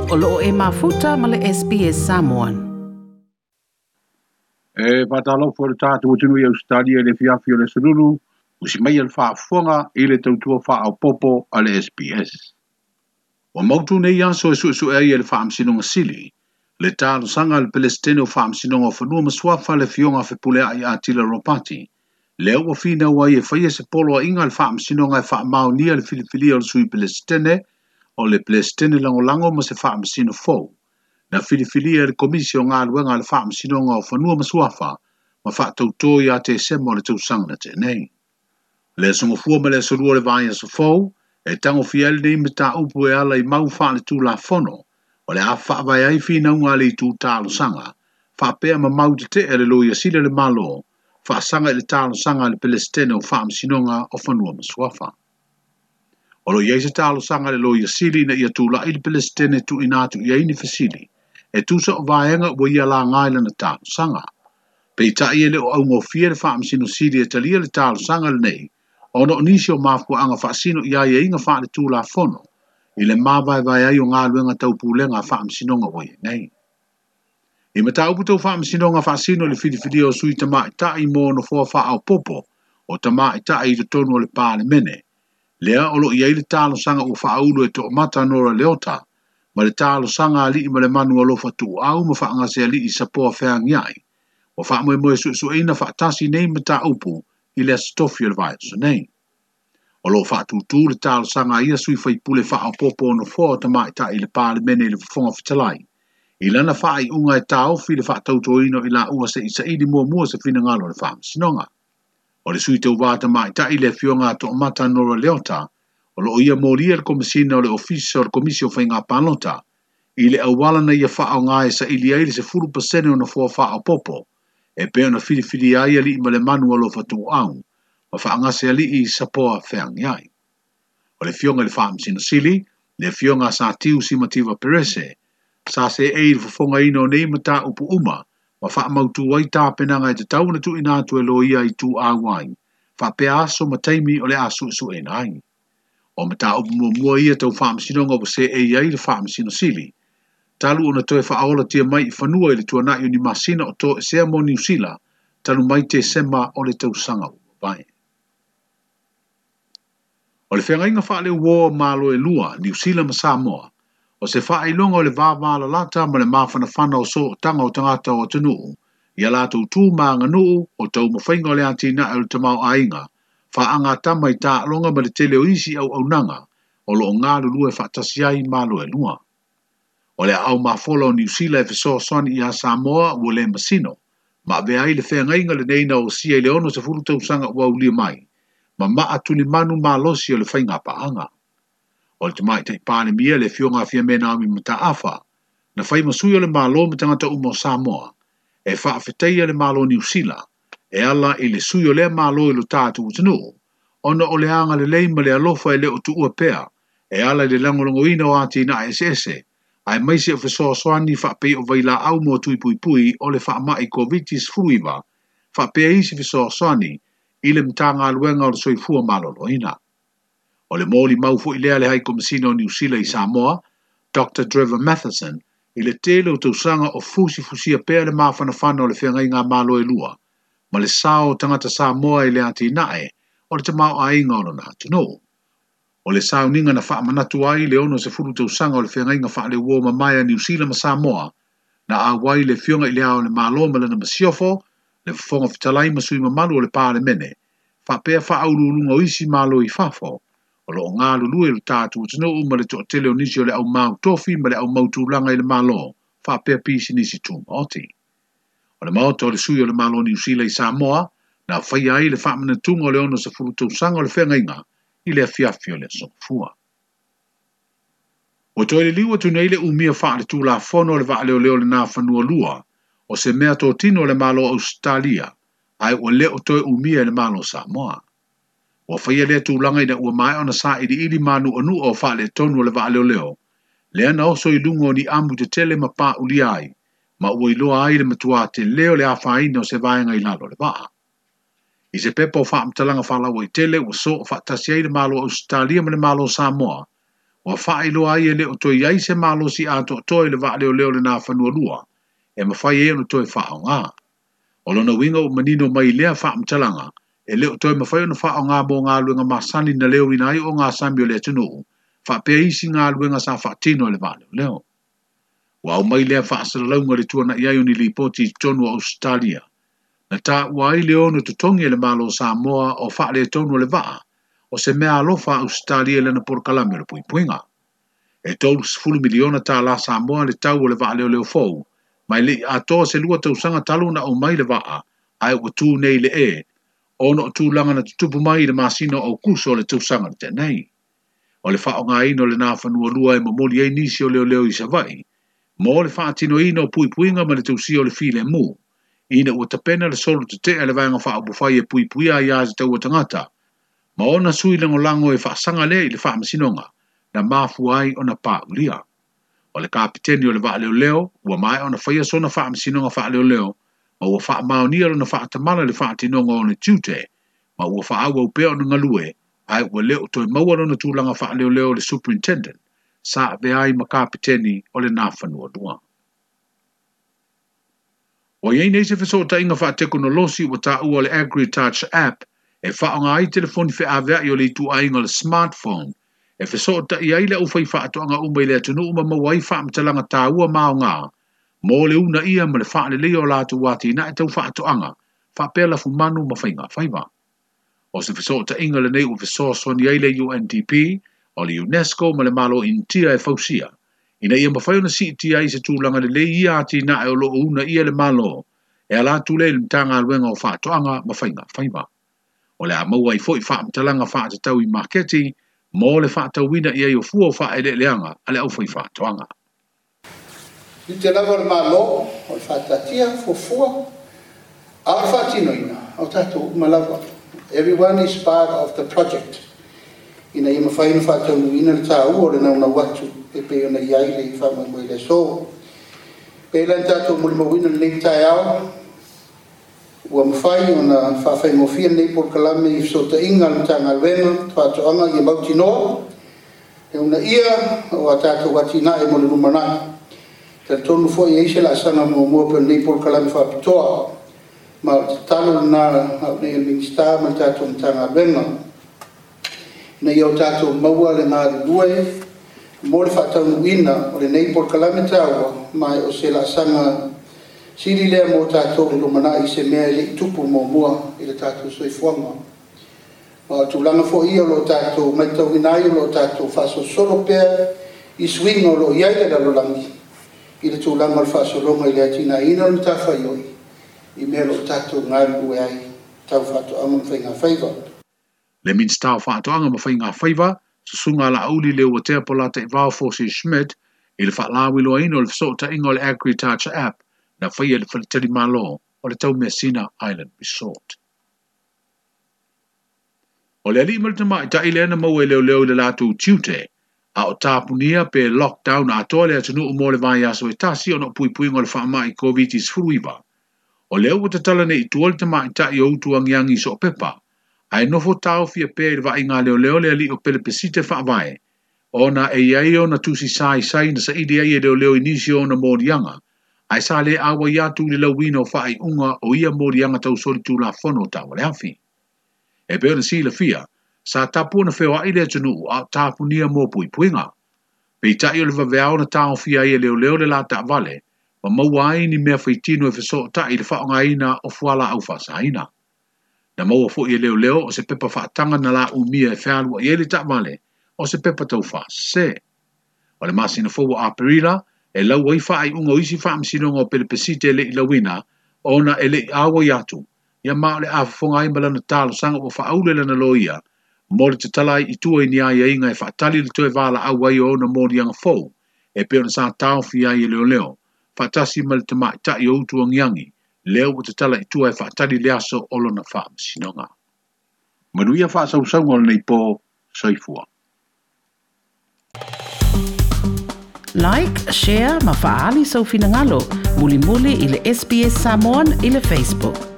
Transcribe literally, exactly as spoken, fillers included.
O loo e mafuta ma le S B S Samoan. E whātalofa le tātou atunuu i Australia le fiafi o le sululu, usi mai le faafofoga i le tautua faaopopo a le S B S. Ua mautu nei aso e suesue ai e le faamasinoga sili, le talosaga a le Pelesitene o faamasinoga o fanua ma suafa le fioga fepuleai a Tila Ropati. Lea ua finau ai e faia se poloaiga a le faamasinoga e faamaonia le filifilia o le sui Pelesitene, o le Pelesitene lagolago ma se faamasino fou. Na filifilia e le komisi o galuega a le faamasinoga o fanua ma suafa, ma faatautō ia Tesema o le tausaga na tea nei. Le aso gafua ma le aso lua o le vaiaso fou, e tagofia ai lenei mataupu e ala i mau faaletulafono, o le a faavae ai finauga a le itu talosaga, faapea ma mau tetee le loia sili o le Malo, faasaga i le talosaga a le Pelesitene o faamasinoga o fanua ma suafa. O lo o i ai se talosaga a le loia sili ina ia tula'i le Pelesitene tuuina atu i ai ni fesili, e tusa o vaega ua ia laga i lana talosaga. Peitai e le o augofie le faamasino sili e talia le talosaga lenei, ona o nisi o mafuaaga faasino i aiaiga faaletulafono, i le mavaevae ai o galuega taupulega a faamasinoga ua i ai nei. I mataupu tau faamasinoga faasino i le filifilia o sui tamaitai mo nofoa faaopopo o tamaitai i totonu o le Palemene, lea o lo o i ai le talosaga ua faaulu e toomata Nora Leota, ma le talosaga a alii ma le manu alofa tuuau ma faagasealii Sapoa feagiai, ua faamoemoe suesueina faatasi nei mataupu i le aso tofi o le vaiaso nei. O lo o faatūtū le talosaga a ia sui faipule faaopopo o nofoa o tamaitai i le Palemene i le Fofoga Fetalai, i lana faaiuga e taofi le faatautoina o i laua se'i muamua se finagalo o le faamasinoga. O le sui tauvā tamaitai le afioga a toomata Nora Leota, o lo o ia molia le komisina o le ofisa o le komisi o faiga palota, i le auala na ia faaoga e saili ai le sefulu pasene o nofoa faaopopo, e pei ona filifilia ai alii ma le manu alofa tuuau, ma faagasealii Sapoa feagiai. O le afioga i le faamasino sili, le afioga a Satiu Simativa Perese, sa seei le fofogaina o nei mataupu uma, ma faamautu ai tapenaga e tatau ona tuuina atu e loia i tuau ai, faapea aso ma taimi o le a suesueina ai. O mataupu muamua ia tau faamasinoga ua seei ai le faamasino sili, talu ona toe faaolatia mai i fanua i le tuanai o ni masina o toesea mo Niu Sila, talu mai Tesema o le tausaga ua mavae. O le feagaiga faaleuo o Malo e lua, Niu Sila ma Samoa, o se faailoga o le vavalalata ma le mafanafana o sootaga o tagata o atunuu, ia latou tu ma aganuu o taumafaiga o le atinae o le tamaoaiga, faagatama i taaloga ma le tele o isi auaunaga o lo o galulue faatasi ai Malo e lua. O le aao mafola o Niu Sila e fesoasoani ia Samoa ua le masino, ma avea ai le feagaiga lenei na osia i le ono sefulu tausaga ua aulia mai, ma maa tulimanu malosi o le faiga paaga. O le tamaitai Palemia le afioga a Fiame Naomi Mataafa, na fai ma sui o le Malo ma tagata uma o Samoa, e faafetaia le Malo Niu Sila, e ala i le sui o lea Malo i lo tatou atunuu, ona o le agalelei ma le alofa e le o tuua pea, e ala i le lagolagoina o atinae eseese, aemaise o fesoasoani faapei o vailaau mo tuipuipui o le faamai COVID sefuluiva, faapea isi fesoasoani i le Matagaluega o le Soifua Maloloina. O le molimau foi lea le hai komisina o Niu Sila i Samoa, Doctor Trevor Matheson, i le tele o tausaga o fusifusia pea le mafanafana o le feagaiga Malo e lua, ma le sao o tagata Samoa i le atinae o le tamaoaiga o lona atunuu. O le sauniga na faamanatu ai le ono sefulu tausaga o le feagaiga faaleuo mamae a Niu Sila ma Samoa, na auai le afioga i le Ao o le Malo ma lana masiofo, le Fofoga Fetalai ma sui mamalu o le Palemene, faapea faauluuluga o isi Malo i fafo, o lo o galulue le tatou atunuu ma le toatele o nisi o le aumau tofi ma le aumau tulaga i le Malo, faapea pisinisi tumaoti. O le maota o le sui o le Malo Niu Sila i Samoa, na faia ai le faamanatuga o le ono sefulu tausaga o le feagaiga i le afiafi o le aso Gafua. Ua toe liliu atu nei le umia faaletulafono o le vaaleoleo lena fanua lua, o se mea totino o le Malo Ausetalia, ae ua le o toe umia e le Malo Samoa. Ua faia lea tulaga ina ua maea ona sailiili manuanua o faaletonu o le vaaleoleo, lea na oso i luga o ni amu tetele ma paulia ai, ma ua iloa ai le matua tele o le afaina o se vaega i lalo o le vaa. I se pepa o faamatalaga faalaua i tele ua soo faatasi ai le Malo Ausetalia ma le Malo Samoa, Ua faailoa ai e le o toe i ai se malosi atoatoa i le vaaleoleo le Nafanua lua e mafai ai ona toe faaaoga. O lona uiga ua manino mai lea faamatalaga e le o toe mafai ona faaaoga mo galuega masani na leoina ai ogasami o le atunuu faapea isi galuega sa faatino e le vaaleoleo. Ua aumai lea faasalalauga le tuana'i ai o ni lipoti i totonu o Ausetalia. Na taua ai le ono totogi e le Malo o Samoa o faaletonu o le vaa o se mea alofa a Ausetalia i lana polokalame o le puipuiga. E tolusefulu miliona tālā Samoa le tau o le vaaleoleo fou, ma e le i atoa se lua tausaga talu ona aumai le vaa, ae ua tu nei le e, ona o tulaga na tutupu mai i le masina o Aukuso o le tausaga na tea nei. O le faaaogaina o le Nafanua lua e momoli ai nisi o leoleo i Savaii, mo le faatinoina o puipuiga ma le tausia o le filemu, ina ua tapena le solo tete'e a le vaega faaupufai e puipuia aiā tatau a tagata, ma ona sui lagolago e faasaga lea i le faamasinoga, na mafua ai ona paulia. O le kapiteni o le vaaleoleo, ua maea ona faia sona faamasinoga faaleoleo, ma ua faamaonia lona faatamala i le faatinoga o ona tiute, ma ua faaauau pea ona galue, ae ua le o toe maua lona tulaga faaleoleo o le superintendent, sa avea ai ma kapiteni o le Nafanua lua. Ua i ai nei se fesootaiga faatekonolosi ua taua o le AgriTouch app e faaaoga ai telefoni feaveai o le ituaiga o le smartphone e fesootai ai le aufaifaatoaga uma i le atunuu ma maua ai faamatalaga taua ma aoga mo le uunaia ma le faaleleia o latou atinae tau faatoaga faapea lafumanu ma faigafaiva. O se fesootaiga lenei ua fesoasoani ai le U N D P, o le UNESCO ma le Malo Initia e fausia, ina ia mafai ona siitia ai se tulaga lelei ia atinae o loo uunaia le Malo e ala atu lea i le Matagaluega o Faatoaga ma Faigafaiva. O le a maua ai foi faamatalaga faatatau i maketi mo le faatauina i ai o fua o faaeleeleaga a le aufaifaatoaga. Tiute lava o le Malo o le faataatia fuafua, a o le faatinoina o tatou uma lava. Everyone is part of the project ina ia mafai ona faataunuuina le taua o le naunau atu e pei ona i ai le faamoemoe i le aso. Pei la na tatou molimauina lenei taeao, ua mafai ona faafaigofie lenei polokalame i fesootaiga a le Matagaluega Faatoaga ia mautinoa e uunaia o a tatou atinae mo le lumanai. Talitonu foi e i ai se laasaga muamua pe o lenei polokalame faapitoa, ma o le tatalo lena au nei a le Minisita ma le tatou Matagaluega ina ia o tatou maua le galulue mo le faataunuuina o lenei polokalame taua, ma o se laasaga sili lea mo tatou le lumanai, se mea e le i tupu muamua i le tatou soifuaga. Ma o tulaga foi ia o lo o tatou matauina ai o lo o tatou faasolosolo pea i suiga o lo o i ai le lalolagi i le tulaga o le faasologa i le atinaeina o le matafaioi i mea o lo o tatou galulue ai tau faatoaga ma faigafaiva. Le Minisita o Faatoaga ma Faigafaiva, Susuga Laauli Leuatea Polataivao Fosi Schmidt, i le faalauiloaina o le fesootaiga o le AgriTouch app na faia i le faletalimalo o le Taumeasina Island Resort. O le alii ma le tamaitai lea na maua e leoleo i le latou tiute, a o tapunia pe lockdown atoa le atunuu mo le vaiaso e tasi ona o puipuiga o le faamai Covid nineteen. O lea ua tatala nei i tua le tamaitai o Utuagiagi i Soopepa, ae nofo taofia pea i le vaaiga a leoleo le alii o Pelepesite Faavae, ona e i ai ona tusi saisai na saili ai e leoleo i nisi o ona moliaga, ae sa le auai atu i le lauina o faaiuga o ia moliaga tausolitulafono o taavale afi. E pei ona silafia, sa tapu ona feoai le atunuu a o tapunia mo puipuiga. Peitai o le vaveao na taofia ai e leoleo le la taavale, ma maua ai ni mea faitino e fesootai i le faaaogaina o fualaau faasaina. Na maua foi e leoleo o se pepa faataga na laumia e fealuai ai le taavale o se pepa taufaasese. O le masina fou o Aperila, e lau ai faaiuga o isi faamasinoga o Pelepesite e le i lauina, ona e le i auai atu, ia ma o le a fofoga ai ma lana talosaga ua faaule lana loia, mo le tatala ai i tua i ni aiaiga e faatali le toe valaau ai o ona moliaga fou, e pei ona sa taofia ai e leoleo, faatasi ma le tamaitai o Utuagiagi, lea ua tatala i tua e faatali le aso o lona faamasinoga. Manuia faasausauga o lenei po, soifua. Like, share ma faaali sou finagalo. Mulimuli i le S B S Samoan i le Facebook.